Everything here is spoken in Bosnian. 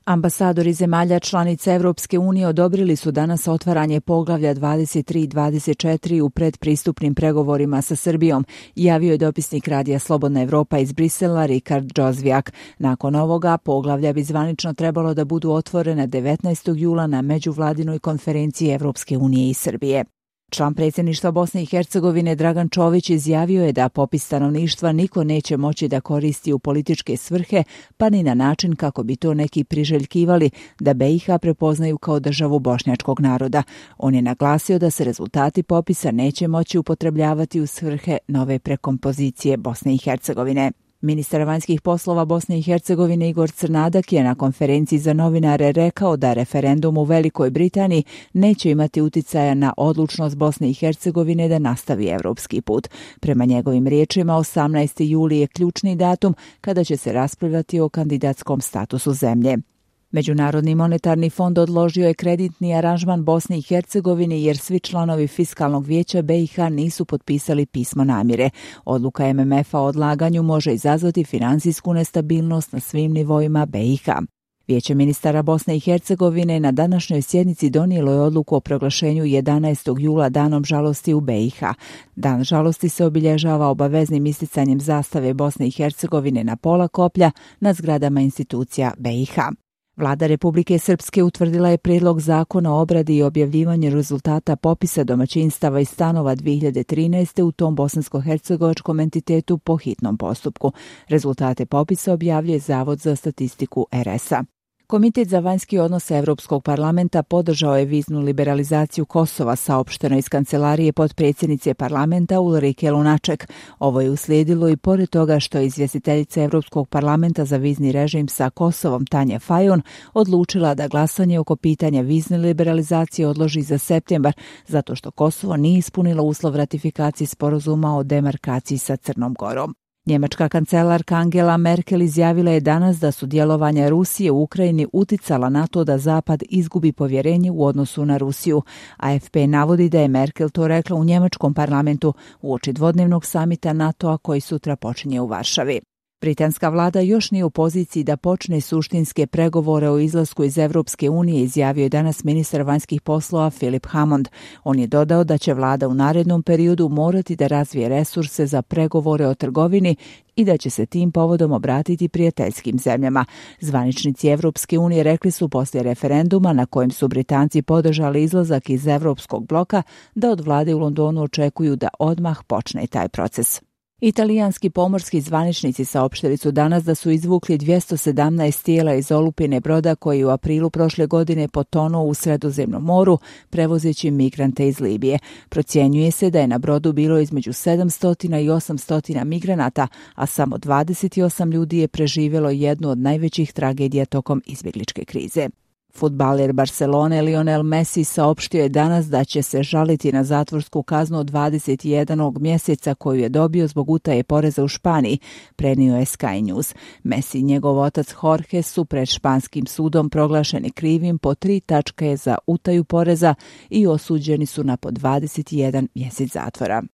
Ambasadori zemalja članica Evropske unije odobrili su danas otvaranje poglavlja 23 i 24 u predpristupnim pregovorima sa Srbijom, javio je dopisnik radija Slobodna Evropa iz Brisela Rikard Džozvijak. Nakon ovoga, poglavlja bi zvanično trebalo da budu otvorena 19. jula na međuvladinoj konferenciji Evropske unije i Srbije. Član predsjedništva Bosne i Hercegovine Dragan Čović izjavio je da popis stanovništva niko neće moći da koristi u političke svrhe, pa ni na način kako bi to neki priželjkivali da BiH prepoznaju kao državu bošnjačkog naroda. On je naglasio da se rezultati popisa neće moći upotrebljavati u svrhe nove prekompozicije Bosne i Hercegovine. Ministar vanjskih poslova Bosne i Hercegovine Igor Crnadak je na konferenciji za novinare rekao da referendum u Velikoj Britaniji neće imati uticaja na odlučnost Bosne i Hercegovine da nastavi evropski put. Prema njegovim riječima, 18. juli je ključni datum kada će se raspravljati o kandidatskom statusu zemlje. Međunarodni monetarni fond odložio je kreditni aranžman Bosni i Hercegovini jer svi članovi Fiskalnog vijeća BiH nisu potpisali pismo namjere. Odluka MMF-a o odlaganju može izazvati finansijsku nestabilnost na svim nivoima BiH. Vijeće ministara Bosne i Hercegovine na današnjoj sjednici donijelo je odluku o proglašenju 11. jula danom žalosti u BiH. Dan žalosti se obilježava obaveznim isticanjem zastave Bosne i Hercegovine na pola koplja na zgradama institucija BiH. Vlada Republike Srpske utvrdila je prijedlog zakona o obradi i objavljivanju rezultata popisa domaćinstava i stanova 2013. u tom bosansko-hercegovačkom entitetu po hitnom postupku. Rezultate popisa objavljuje Zavod za statistiku RS-a. Komitet za vanjski odnos Evropskog parlamenta podržao je viznu liberalizaciju Kosova, saopšteno iz kancelarije potpredsjednice parlamenta Ulrike Lunaček. Ovo je uslijedilo i pored toga što je izvjestiteljica Evropskog parlamenta za vizni režim sa Kosovom Tanja Fajon odlučila da glasanje oko pitanja vizne liberalizacije odloži za septembar, zato što Kosovo nije ispunilo uslov ratifikacije sporazuma o demarkaciji sa Crnom Gorom. Njemačka kancelarka Angela Merkel izjavila je danas da su djelovanja Rusije u Ukrajini uticala na to da Zapad izgubi povjerenje u odnosu na Rusiju. AFP navodi da je Merkel to rekla u njemačkom parlamentu uoči dvodnevnog samita NATO-a koji sutra počinje u Varšavi. Britanska vlada još nije u poziciji da počne suštinske pregovore o izlasku iz Evropske unije, izjavio je danas ministar vanjskih poslova Philip Hammond. On je dodao da će vlada u narednom periodu morati da razvije resurse za pregovore o trgovini i da će se tim povodom obratiti prijateljskim zemljama. Zvaničnici Evropske unije rekli su poslije referenduma na kojem su Britanci podržali izlazak iz Evropskog bloka da od vlade u Londonu očekuju da odmah počne taj proces. Italijanski pomorski zvaničnici saopštili su danas da su izvukli 217 tijela iz olupine broda koji u aprilu prošle godine potonuo u Sredozemnom moru prevozeći migrante iz Libije. Procjenjuje se da je na brodu bilo između 700 i 800 migranata, a samo 28 ljudi je preživjelo jednu od najvećih tragedija tokom izbjegličke krize. Fudbaler Barcelone Lionel Messi saopštio je danas da će se žaliti na zatvorsku kaznu od 21 mjeseca koju je dobio zbog utaje poreza u Španiji, prenio je Sky News. Messi i njegov otac Jorge su pred španskim sudom proglašeni krivim po 3 tačke za utaju poreza i osuđeni su na po 21 mjesec zatvora.